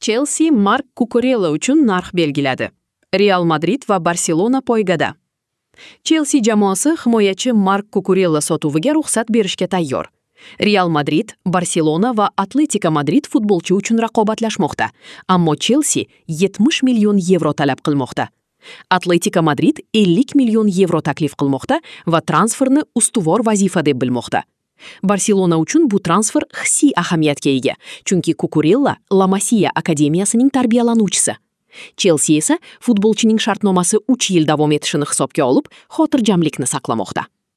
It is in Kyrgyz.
Челси Марк Кукурелла үчүн нарх белгилedi. Реал Мадрид ва Барселона пойгада. Челси жамоасы химоячы Марк Кукурелла сотууга рухсат беришке тайyor. Реал Мадрид, Барселона ва Атлетико Мадрид футболчу үчүн ракобатлашмокта, аммо Челси 70 миллион евро талап кылмокта. Атлетико Мадрид 50 миллион евро таклиф кылмокта ва трансферни устувор вазифа деп билмокта. Барселона үчүн бу трансфер хисси ахамиятка эге, чүнки Кукурелла Ла Масия академиясынын тарбиялануучусу. Челси эсе футболчунун шартномасы 3 жыл давам этишин хисапка алып, хотиржамлыкны сакламокта.